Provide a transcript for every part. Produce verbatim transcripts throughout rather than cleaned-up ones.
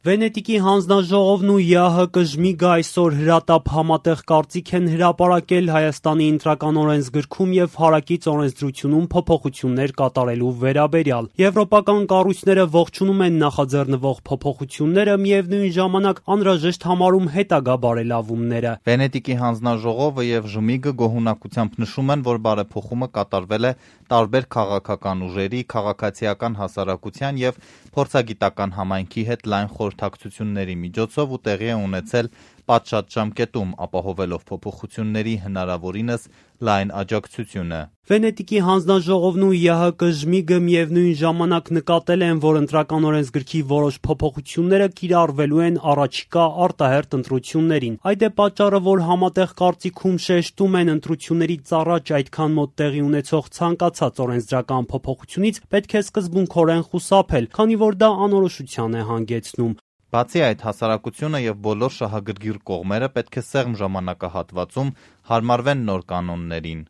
Վենետիկի հանձնաժողովն ու ԵԱՀԿ-ԺՄԻԳ-ը այսօր հրատապ համատեղ կարծիք են հրապարակել Հայաստանի Ընտրական օրենսգրքում և հարակից օրենսդրությունում փոփոխություններ կատարելու վերաբերյալ։ Եվրոպական կառույցները ողջունում են նախաձեռնվող փոփոխությունները, միևնույն ժամանակ անհրաժեշտ համարում հետագա բարելավումները։ Վենետիկի հանձնաժողովը և ԺՄԻԳ-ը գոհունակությամբ նշում են, որ բարեփոխումը կատարվել է տարբեր քաղաքական ուժերի, քաղաքացիական հասարակության և փորձագիտական համայնքի հետ լայն խորհրդակցությունների միջոցով ու տեղի է ունեցել պատշաճ ժամկետում, ապահովելով փոփոխությունների հնարավորինս լայն աջակցությունը։ Վենետիկի հանձնաժողովն ու ԵԱՀԿ-ԺՄԻԳ-ը միևնույն ժամանակ նկատել են, որ Ընտրական օրենսգրքի որոշ փոփոխությունները կիրառվելու են առաջիկա արտահերթ ընտրություններին։ Այդ է պատճառը, որ համատեղ կարծիքում շեշտում են, ընտրություններից առաջ այդքան մոտ տեղի ունեցող ցանկացած օրենսդրական փոփոխությունից պետք է սկզբունքորեն խուսափել, քանի որ դա անորոշության է հանգեցնում։ Բացի այդ, հասարակությունը և բոլոր շահագրգիռ կողմերը պետք է սեղմ ժամանակահատվածում հարմարվեն նոր կանոններին։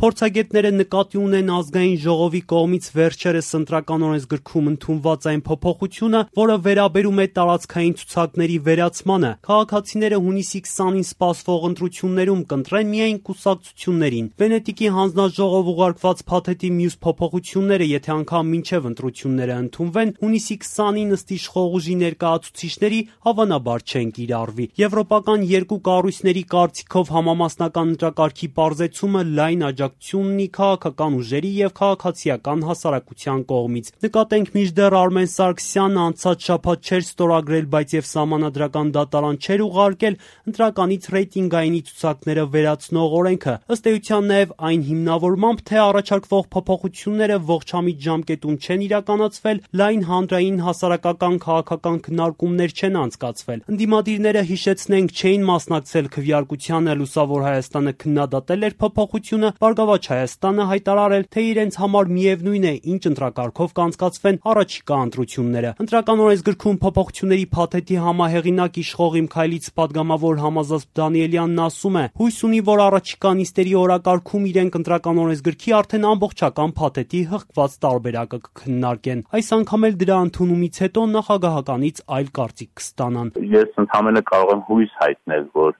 Փորձագետները նկատի ունեն ազգային ժողովի կողմից վերջերս Ընտրական օրենսգրքում ընդունված այն փոփոխությունը, որը վերաբերում է տարածքային ցուցակների վերացմանը։ Քաղաքացիները հունիսի քսանին սպասվող ընտրություններում կընտրեն միայն կուսակցություններին։ Վենետիկի հանձնաժողով ուղարկված փաթեթի մյուս փոփոխությունները, եթե անգամ մինչև ընտրությունները ընդունվեն, հունիսի քսանին ըստ իշխող ուժի ներկայացուցիչների հավանաբար չեն կիրառվի։ Եվրոպական երկու կառույցների կարծիքով համամասնական ընտրակարգի պարզեցումը լայն աջակցություն ունի քաղաքական ուժերի և քաղաքացիական հասարակության կողմից։ Նկատենք, մինչդեռ Արմեն Սարգսյանը անցած շաբաթ չէր ստորագրել, բայց և սահմանադրական դատարան չէր ուղարկել ընտրականից ռեյտինգայինի ցուցակները վերացնող օրենքը։ Ըստ էության նաև այն հիմնավորմամբ, թե առաջարկվող փոփոխությունները ողջամիտ ժամկետում չեն իրականացվել, լայն հանրային հասարակական քաղաքական քննարկումներ չեն անցկացվել։ Ընդդիմադիրները, հիշեցնենք, չէին մասնակցել քվեարկությանը, Լուսավոր Հայաստանը քննադատել էր փոփոխությունը, Բարգավաճ Հայաստանը հայտարարել, թե իրենց համար միևնույն է, ինչ ընտրակարգով կանցկացվեն առաջիկա ընտրությունները։ Ընտրական օրենսգրքում փոփոխությունների փաթեթի համահեղինակ իշխող Իմ քայլից падգամավոր Համազգաստ Դանիելյանն ասում է. հույս ունի, որ առաջիկա նիստերի օրակարգում իրենք Ընտրական օրենսգրքի արդեն ամբողջական փաթեթի հղկված տարբերակը կքննարկեն։ Այս անգամ էլ դրա ընդունումից հետո նախագահականից այլ կարծիք կստանան։ Ես ընդհանրապես կարող եմ հույս հայտնել, որ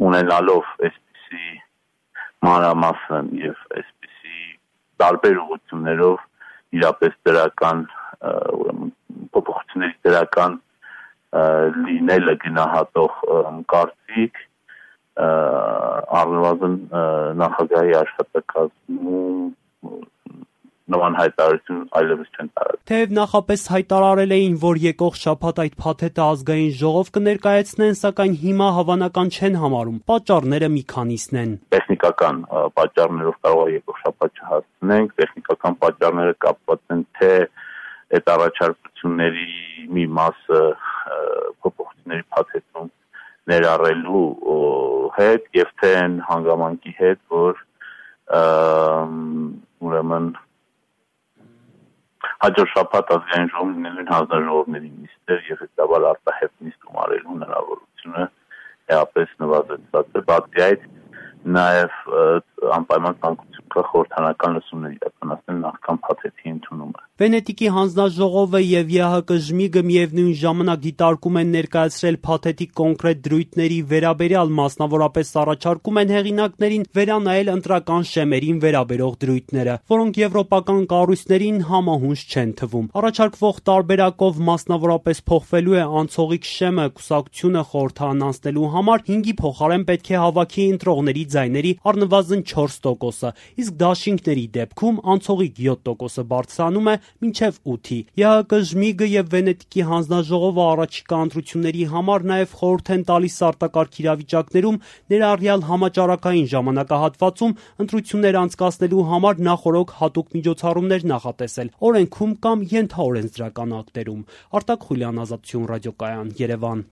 ունենալով այսպիսի մանրամասն եւ այսպիսի տարբեր ուղղություններով իրապես դրական ուրեմն փոփոխությունների դրական լինելը գնահատող կարծիք առնվազն նախագահի աշխատակազմում նման հայտարարություն այլևս չեն տարածել։ Թեև նախապես հայտարարել էին, որ եկող շաբաթ այդ փաթեթը ազգային ժողով կներկայացնեն, սակայն հիմա հավանական չեն համարում։ Պատճառները մի քանիսն են։ Տեխնիկական պատճառներով կարող է եկող շաբաթ չհասցնենք, տեխնիկական պատճառները կապված են թե այդ առաջարկությունների մի մասը փոփոխությունների փաթեթում ներառելու հետ եւ թե այն հանգամանքի հետ, որ ուրեմն հաջորդ շաբաթ ազգային ժողովն լինելու հանձնաժողովների նիստեր եւ հետաբար արտահերթ նիստ գումարելու հնարավորությունը էապես նվազեցված է։ Բացի այդ, նաեւ անպայման ցանկություն կա խորհրդանական լսումներ իրականացնել նախքան փաթեթի ընդունումը։ Վենետիկի հանձնաժողովը և ԵԱՀԿ-ԺՄԻԳ-ը միևնույն ժամանակ դիտարկում են ներկայացրել փաթեթի կոնկրետ դրույթների վերաբերյալ, մասնավորապես առաջարկում են հեղինակներին վերանայել ընտրական շեմերին վերաբերող դրույթները, որոնք եվրոպական կառույցներին համահունչ չեն թվում։ Առաջարկվող տարբերակով մասնավորապես փոխվելու է անցողիկ շեմը, կուսակցությունը խորհրդարան անցնելու համար հինգի փոխարեն պետք է հավաքի ընտրողների ձայների առնվազն չորս տոկոսը, իսկ դաշինքների դեպքում անցողիկ յոթ տոկոսը բարձրանում է մինչև ութի։ ԵԱՀԿ-ԺՄԻԳ-ը և Վենետիկի հանձնաժողովը առաջիկա ընտրությունների համար նաև խորհուրդ են տալիս արտակարգ իրավիճակներում, ներառյալ համաճարակային ժամանակահատվածում ընտրություններ անցկացնելու համար նախօրոք հատուկ միջոցառումներ նախատեսել օրենքում կամ ենթաօրենսդրական ակտերում։ Արտակ Խուլյան, Ազատություն ռադիոկայան, Երևան։